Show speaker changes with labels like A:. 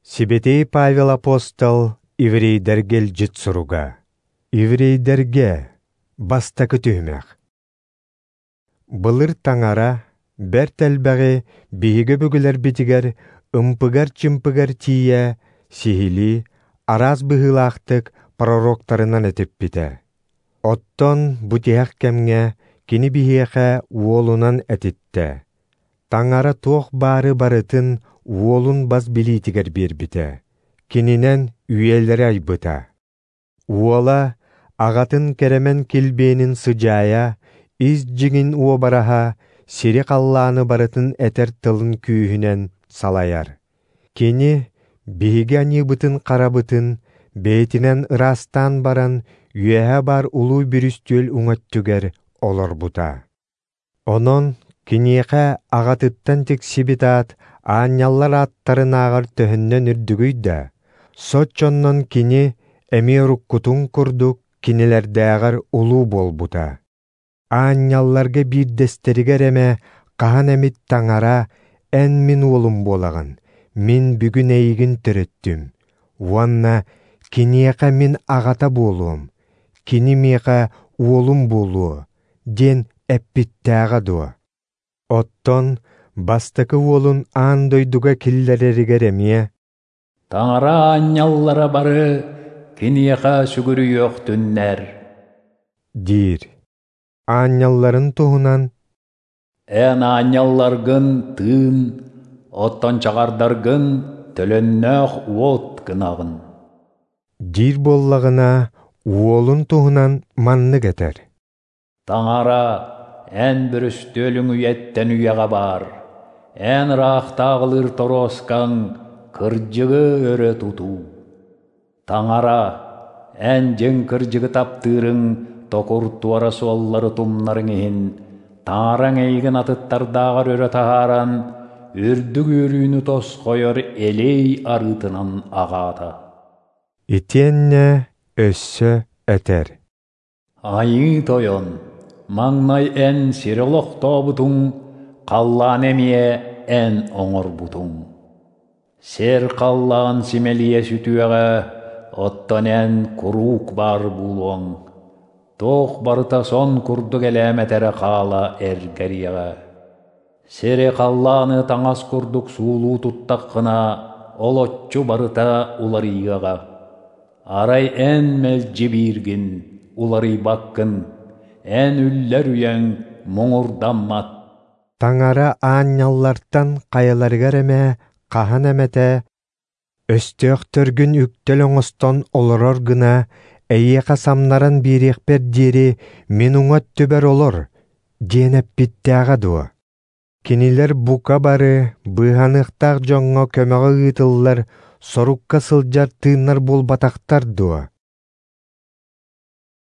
A: Сибэтиэй Павел апостол еврейдэргэ илдьит суруга. Еврейдэргэ бастакы түһүмэх. Былыр таҥара бэрт элбэҕи биһиги өбүгэлэрбитигэр ымпыгар-чымпыгар тиийэ сиһилии, араас быһыылаахтык пророктарынан этиппитэ. Оттон бу тиһэх кэмҥэ кини биһиэхэ уолунан этиттэ. Таҥара туох баары барытын уолун бас билиитигэр биэрбитэ, кининэн үйэлэри айбыта. Уола аҕатын кэрэмэн килбиэнин сыдьаайа, ис дьиҥин уобараһа, сири-халлааны барытын этэр тылын күүһүнэн салайар. Кини биһиги аньыыбытын-харабытын бэйэтинэн ыраастаан баран, үөһэ баар улуу бүрүстүөл уҥа өттүгэр олорбута. Онон киниэхэ аҕатыттан тиксибит аат аанньаллар ааттарынааҕар төһөннөн үрдүгүй да, соччоннон кини эмиэ уруккутун курдук кинилэрдээҕэр улуу буолбута. Аанньалларга биирдэстэригэр эмэ хаһан эмит таҥара «Эн мин уолум буолаҕын, мин бүгүн эйигин төрөттүм» уонна «Киниэхэ мин аҕата буолуом, кини миэхэ уолум буолуо» диэн эппиттээҕэ дуо? Оттон бастакы уолун аан дойдуга киллэрэригэр эмиэ
B: «Таҥара аанньаллара бары киниэхэ сүгүрүйүөхтүннэр»
A: диир. Аанньалларын туһунан
B: «Эн аанньалларгын тыын, оттон чаҕардаргын төлөннөөх уот гынаҕын»
A: диир буоллаҕына, уолун туһунан маннык этэр:
B: «Таҥара, эн бүрүстүөлүҥ үйэттэн үйэҕэ баар, эн ыраахтааҕылыыр торуоскаҥ кырдьыгы өрө тутуу. Таҥара, эн дьиҥ кырдьыгы таптыырыҥ токур туора суоллары тумнарыҥ иһин, Таҥараҥ эйигин атыттардааҕар өрө таһааран, үрдүк үөрүүнү тосхойор элиэй арыытынан аҕаата».
A: Итиэннэ өссө этэр:
B: «Айыы Тойон, маҥнай эн сири олохтообутуҥ, халлааны эмиэ эн оҥорбутуҥ. Сир халлаан симэлийэ сүтүөҕэ, оттон эн куруук баар буолуоҥ. Туох барыта сон курдук элээмэтэрэ хаала эргэриэҕэ. Сири халлааны таҥас курдук суулуу туттаххына, олоччу барыта уларыйыаҕа. Арай эн мэлдьи бииргин, уларыйбаккын, эн үллэр үйэҥ муҥурдаммат».
A: Таҥара аанньаллартан хайаларыгар эмэ хаһан эмэтэ «Өстөөхтөргүн үктэл оҥостон олорор гына, эйиэхэ самнаран биэриэхпэр диэри мин уҥа өттүбэр олор» диэн эппиттээҕэ дуо? Кинилэр бука бары быыһаныахтаах дьоҥҥо көмөҕө ыытыллар сорукка сылдьар тыыннар буолбатахтар дуо?